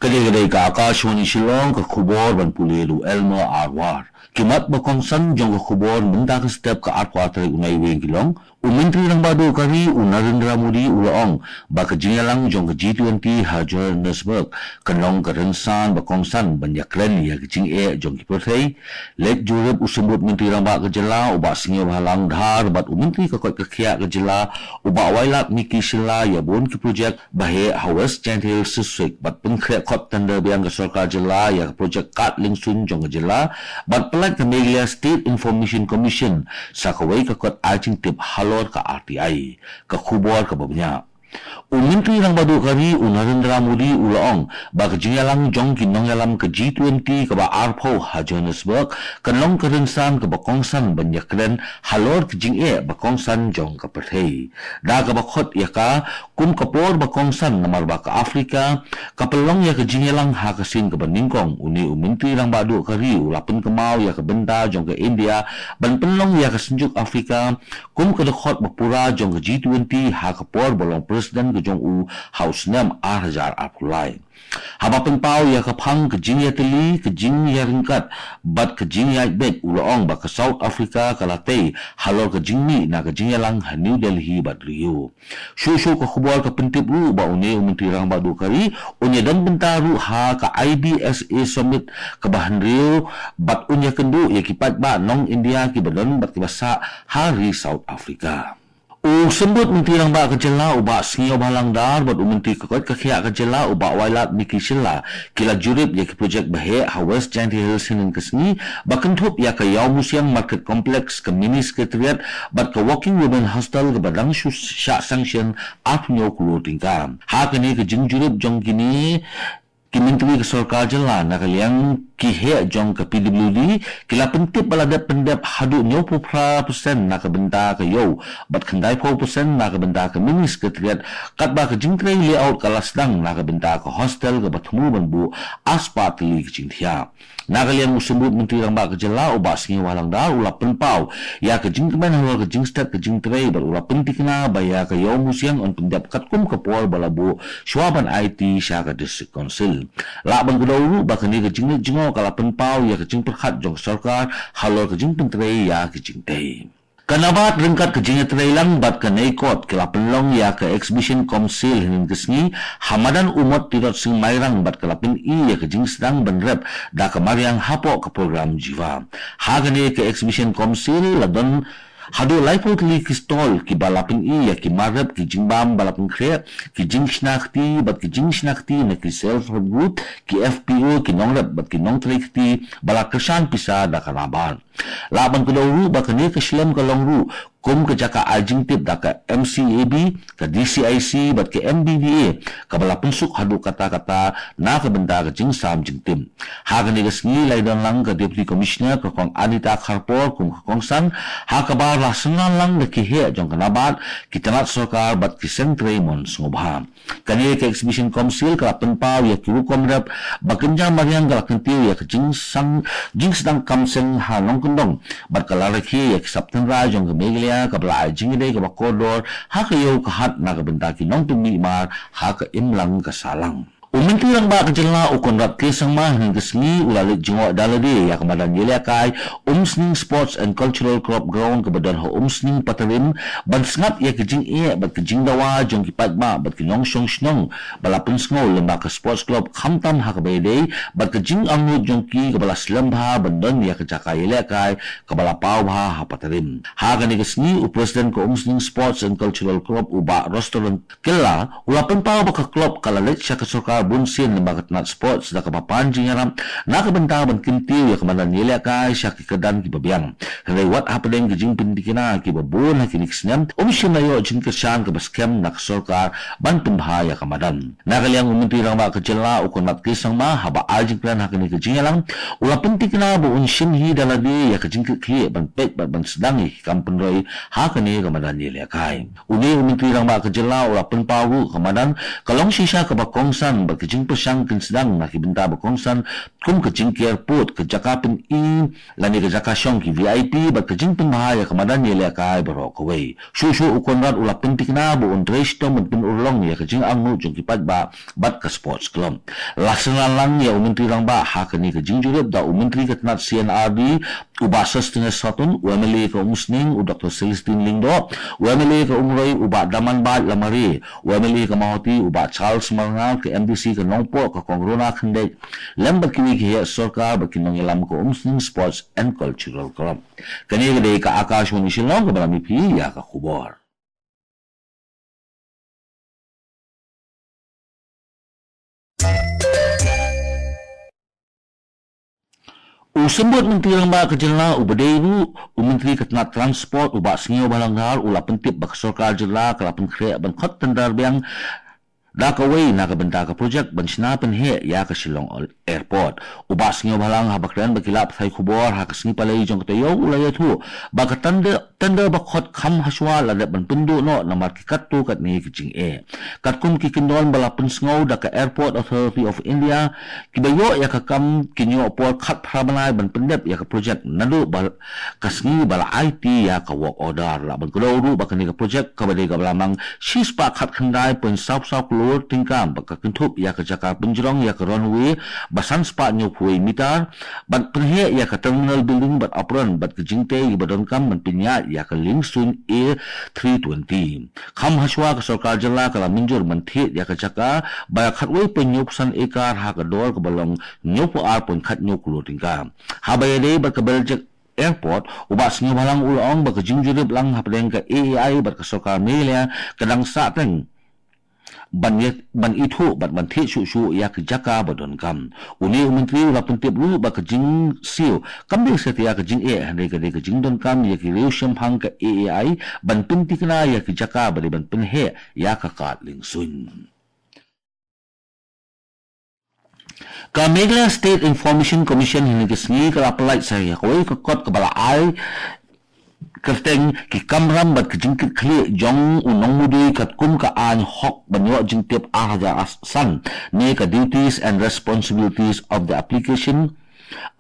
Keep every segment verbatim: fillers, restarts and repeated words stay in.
Ka dei ka Akashvani Shillong, ka khubor ban pule da u Elmer Arwar. Ki mat ba kongsan jong ka khubor mynta ka step ka arphew tarik u Naiwieng ki long, u Myntri Rangbah Duh ka ri u Narendra Modi u la ong ba ka jingïalang jong ka G twenty ha Johannesburg kan long ka rynsan ba kongsan ban ïakren ïa ka jingeh jong ki pyrthei. Leit jurip u Symbud Myntri Rangbah ka jylla u Bah Sniawbhalang Dhar bad u Myntri ka koit ka khiah ka jylla u Bah Wailadmiki Shylla ïa bun ki projek ba heh ha West Jaiñtia Hills District bad pynkhreh khot tender biang ka sorkar jylla ïa ka projek kad liengsuiñ jong ka jylla bad pyllait ka Meghalaya State Information Commission sa kawei ka kot ai jingtip halor ka R T I. Ka khubor kaba bniah. U Myntri Rangbah Duh ka ri u Narendra Modi u la ong ba ka jingïalang jong ki nongïalam ka G twenty kaba arphew ha Johannesburg kan long ka rynsan kaba kongsan ban ïakren halor ka jingeh ba kongsan jong ka pyrthei. Da kaba khot ïa ka kum ka por ba kongsan namar ba ka Afrika ka pynlong ïa ka jingïalang ha ka sien kaba nyngkong, une u Myntri Rangbah Duh ka ri u la pynkynmaw ïa ka bynta jong ka India ban pynlong ïa ka Synjuk Afrika kum ka dkhot ba pura jong ka G twenty ha ka por ba long president ka jong u ha u snem ar hajar arphew lai. Haba pynpaw ïa ka phang ka jingïatylli, ka jingïaryngkat bad ka jingïaid beit, u la ong ba ka South Africa ka la tei halor ka jingmih na ka jingïalang ha New Delhi bad Rio. Shuh shuh ka khubor ka pyntip ruh ba une u Myntri Rangbah Duh ka ri un ïadon bynta ruh ha ka I B S A Summit kaba hynriew bad un ïakynduh ïa ki paidbah nong India kiba don bad kiba sah ha ri South Africa. U Symbud Myntri Rangbah ka jylla u Bah Sniawbhalang Dhar bad u Myntri ka koit ka khiah ka jylla u Bah Wailadmiki Shylla ki la jurip ïa ki projek ba heh ha West Jaiñtia Hills hynnin ka sngi ba kynthup ïa ka Ïawmusiang Market Complex, ka Mini Secretariat bad ka Working Women Hostel kaba dang shu shah sanction arphew hynñiew klur tyngka. Ha kane ka jingjurip jong kine ki myntri ka sorkar jylla na ka liang ki heh jong ka P W D ki la pyntip ba la dep pyndep haduh hynñiewphew phra percent na ka bynta ka ïew bad khyndaiphew percent na ka bynta ka Mini Secretariat, katba ka jingtrei layout ka la sdang na ka bynta ka hostel kaba thmu ban buh arspah tylli ka jingthiah. Na ka liang u Symbud Myntri Rangbah ka jylla u Bah Sniawbhalang Dhar u la pynpaw ïa ka jingkmen halor ka jingstet ka jingtrei bad u la pyntikna ba ïa ka Ïawmusiang yn pyndep katkum ka por ba la buh shuwa ban aiti sha ka District Council. Lah ban kdew ruh ba kane ka jingleit jngoh ka la pynpaw ïa ka jingpyrkhat jong ka sorkar halor ka jingpyntrei ïa ka jingtei. Ka NABARD ryngkat ka jingïatreilang bad ka NEICOT ki la pynlong ïa ka Exhibition cum Sale hynnin ka sngi ha madan u Mot Tirot Sing Mairang bad ka la pyni ïa ka jingsdang ban rep da ka mariang hapoh ka program Jiva. Ha kane ka Exhibition cum Sale la don haduh laiphew tylli ki stall kiba la pyni ïa ki mar rep, ki jingbam ba la pynkhreh, ki jingshna kti bad ki jingshna kti na ki self help group, ki F P O, ki nongrep bad ki nongtrei kti ba la kyrshan pisa da ka NABARD. Lah ban kdew ruh ba kane ka shlem ka long ruh kum ka jaka ai jingtip da ka M C A B, ka D C I C bad ka M B D A kaba la pynsuk haduh katta katta na ka bynta ka jingsam jingtip. Ha kane ka sngi la ïadonlang ka Deputy Commissioner ka Kong Anita Kharpor kum ka kongsan, ha kaba la synran lang da ki heh jong ka NABARD, ki tnat sorkar bad ki seng trei mon sngewbha. Kane ka Exhibition cum Sale ka la pynpaw ïa ki rukom rep ba kynja mariang, ka la kyntiew ïa ka jingsang, jingsdang kam seng ha nongkyndong bad ka la rakhe ïa ki sap tynrai jong ka Meghalaya kaba la ai jingïadei kaba kordor ha ka ïew ka hat na ka bynta ki nongpynmih mar ha ka imlang ka sahlang. U Myntri Rangbah ka jylla u Conrad K Sangma hynnin ka sngi u la leit jngoh da lade ïa ka madan ïalehkai Umsning Sports and Cultural Club Ground kaba don ha Umsning Patarim ban sngap ïa ka jingeh bad ka jingdawa jong ki paidbah bad ki nongshong shnong ba la pynsngew lyngba ka Sports Club khamtam ha kaba ïadei bad ka jingangnud jong ki kaba la slem bha ban don ïa ka jaka ïalehkai kaba la paw bha ha Patarim. Ha kane ka sngi u President ka Umsning Sports and Cultural Club u Bah Rostoron Kylla u la pynpaw ba ka club ka la leit sha ka sorkar bunsien lyngba ka tnat sports da kaba pan jingïarap na ka bynta ban kyntiew ïa ka madan ïalehkai sha ki kyrdan kiba biang. Hynrei wat hapdeng ki jingpyntikna kiba bun ha kine ki snem, um shym la ïoh jingkyrshan kaba skhem na ka sorkar ban pynbha ïa ka madan. Na ka liang u Myntri Rangbah ka jylla u Conrad K Sangma haba ai jingkren ha kane ka jingïalang u la pyntikna ba un shim hi da lade ïa ka jingkitkhlieh ban peit bad ban sdang ïa ki kam pynroi ha kane ka madan ïalehkai. Une u Myntri Rangbah ka jylla u la pynpaw ruh ka madan ka long shisha kaba kongsan bad ka jingpyrshang kin sdang na ki bynta ba kongsan, kum ka jingker pud, ka jaka pyni lane ka jaka shong ki V I P, bad ka jingpynbha ïa ka madan ïalehkai baroh kawei. Shuh shuh u Conrad u la pyntikna ba un trei shitom ban pynurlong ïa ka jingangnud jong ki paidbah bad ka Sports Club. La synran lang ïa u Myntri Rangbah ha kane ka jingjurip da u Myntri ka tnat C and R D, u Bah Sosthenes Sohtun, u M L A ka Umsning, u Doctor Celestine Lyngdoh, u M L A ka Umroi, u Bah Damanbait Lamare, u M L A ka Mawhati, u Bah Charles Marngar, ka M D C ka Nongpoh, ka Kong Rona Khyndait, lem bad kiwei ki heh sorkar bad ki nongïalam ka Umsning Sports and Cultural Club. Kane ka dei ka Akashvani Shillong kaba lam ïa phi ïa ka khubor. U Symbud Myntri Rangbah ka jylla uba dei ruh u Myntri ka tnat Transport, u Bah Sniawbhalang Dhar, u la pyntip ba ka sorkar jylla ka la pynkhreh ban khot tender biang da kawei na ka bynta ka projek ban shna pynheh ïa ka Shillong Airport. U Bah Sniawbhalang, haba kren bad ki lad pathai khubor ha ka sngi Palei jong ka taïew, u la ïathuh ba ka tender, tender ba khot kham hashwa la dep ban pynduh noh namar ki katto katne ki jingeh. Katkum ki kyndon ba la pynsngew da ka Airport Authority of India, kiba ïoh ïa ka kam kin ïoh por khatphra bnai ban pyndep ïa ka projek naduh ba ka sngi ba la aiti ïa ka work order. Lah ban kdew ruh ba kane ka projek kaba dei kaba la mang shispah khatkhyndai point saw saw klur tyngka, ba ka kynthup ïa ka jaka pynjrong ïa ka runway ba sanspah hynñiewphew meter, ban pynheh ïa ka terminal building bad apron bad ka jingtei ba donkam ban pynïaid ïa ka liengsuiñ A three twenty. Kham hashwa ka sorkar jylla ka la mynjur ban thied ïa ka jaka ba khatwei point hynñiewphew san acre ha ka dor kaba long hynñiewphew ar point khathynñiew klur tyngka. Haba ïadei bad ka Beljek Airport, u Bah Sniawbhalang u la ong ba ka jingjurip lang hapdeng ka A A I bad ka sorkar Meghalaya ka dang sahteng ban ïa, ban ithuh bad ban thied shuh shuh ïa ka jaka ba donkam. Une u Myntri u la pyntip ruh ba ka jingsiew kam dei satia ka jingeh, hynrei ka dei ka jingdonkam ïa ki riewshemphang ka A A I ban pynthikna ïa ki jaka ba dei ban pynheh ïa ka kad liengsuiñ. Ka Meghalaya State Information Commission hynne ka sngi ka la pyllait sa ïa kawei ka kot kaba la ai kyrteng ki kamram bad ka jingkitkhlieh jong u nongmudui katkum ka aiñ hok ban ïoh jingtip ar hajar san, ne ka Duties and Responsibilities of the Application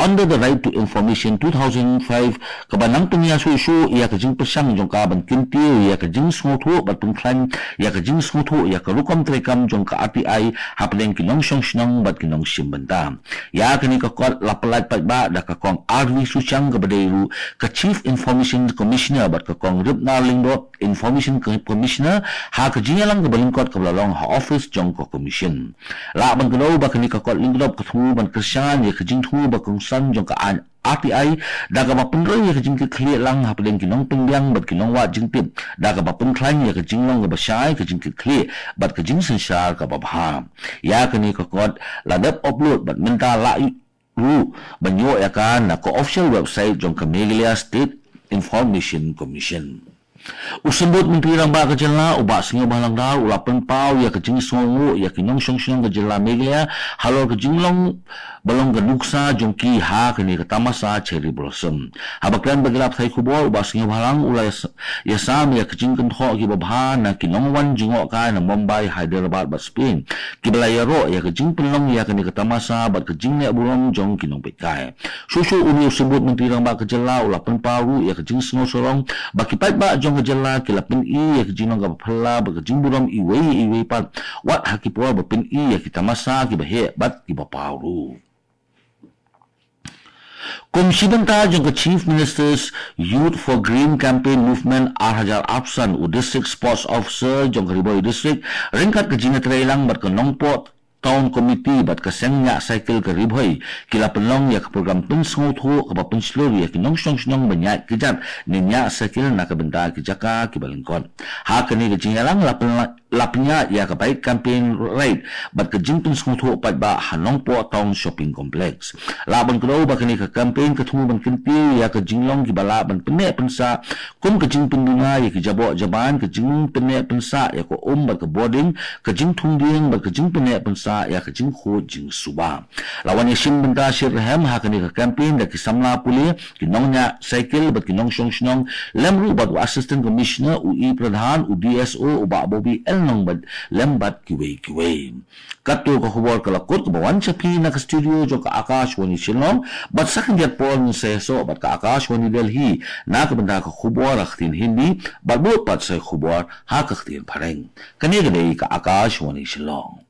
under the Right to Information two thousand five, kaba nang pynïasoh shuh ïa ka jingpyrshang jong ka ban kyntiew ïa ka jingsngewthuh bad pynkhlaiñ ïa ka jingsngewthuh ïa ka rukom treikam jong ka R T I hapdeng ki nongshong shnong bad ki nongshim bynta. Ïa kane ka kot la pyllait paidbah da ka Kong R V Suchang kaba dei ruh ka Chief Information Commissioner bad ka Kong Ripnar Lyngdoh, Information Co-, Commissioner, ha ka jingïalang kaba lyngkot kaba la long ha office jong ka Commission. Lah ban kdew ba kane ka kot lyngkdop ka thmu ban kyrshan ïa ka jingthmu ba kongsan jong ka aiñ R T I da kaba pynroi ïa ka jingkitkhlieh lang hapdeng ki nongpynbiang bad ki nongwad jingtip da kaba pynkhlaiñ ïa ka jinglong kaba shai, ka jingkitkhlieh bad ka jingsynshar kaba bha. Ïa kane ka kot la dep upload bad mynta la ruh ban ïoh ïa ka na ka official website jong ka Meghalaya State Information Commission. U Symbud Myntri Rangbah ka jylla, u Bah Sniawbhalang Dhar, u la pynpaw ïa ka jingsngewnguh ïa ki nongshong shnong ka jylla Meghalaya halor ka jinglong ba long ka nuksa jong ki ha kane ka tamasa Cherry Blossom. Haba kren bad ki lad pathai khubor, u Bah Sniawbhalang u la ïas-, ïasam ïa ka jingkynthoh kiba bha na ki nongwan jngohkai na Mumbai, Hyderabad bad Spain, kiba la ïaroh ïa ka jingpynlong ïa kane ka tamasa bad ka jingleh burom jong ki nongpeitkai. Shuh shuh une u Symbud Myntri Rangbah ka jylla u la pynpaw ruh ïa ka jingsngewsarong ba ki paidbah jong ka jylla ki la pyni ïa ka jinglong kaba phylla bad ka jingburom iwei ïa iwei pat, wat ha ki por ba pyni ïa ki tamasa kiba heh bad kiba paw ruh. Kum shi bynta jong ka Chief Minister's Youth for Green Campaign Movement ar hajar arphew san, u District Sports Officer jong ka Ri Bhoi District ryngkat ka jingïatreilang bad ka Nongpoh Town Committee bad ka Seng Ñiah Cycle ka Ri Bhoi ki la pynlong ïa ka program pynsngewthuh kaba pynshlur ïa ki nongshong shnong ban ñiah kjat ne ñiah cycle na ka bynta ki jaka kiba lyngkot. Ha kane ka jingïalang la pynla-, la pynïaid ïa ka bike campaign ride bad ka jingpynsngewthuh paidbah ha Nongpoh Town Shopping Complex. Lah ban kdew ba kane ka campaign ka thmu ban kyntiew ïa ka jinglong kiba lah ban pynneh pynsah, kum ka jingpynduna ïa ki jaboh jaban, ka jingpynneh pynsah ïa ka um bad ka bording, ka jingthung dieng bad ka jingpynneh pynsah ïa ka jingkhuid jingsuba. La wan ïashim bynta shitrhem ha kane ka campaign da ki samla pule, ki nongñiah cycle bad ki nongshong shnong, lem ruh bad u Assistant Commissioner, u E Pradhan, u D S O, u Bah Bobby L nongbad lem bad kiwei kiwei. Katto ka khubor ka la kut kaba wan sha phi na ka studio jong ka Akashvani Shillong, bad sa khyndiat por ngin sa ïasoh bad ka Akashvani Delhi na ka bynta ka khubor ha ka ktien Hindi, bad bud pat sa ka khubor ha ka ktien Phareng. Kane ka dei ka Akashvani Shillong.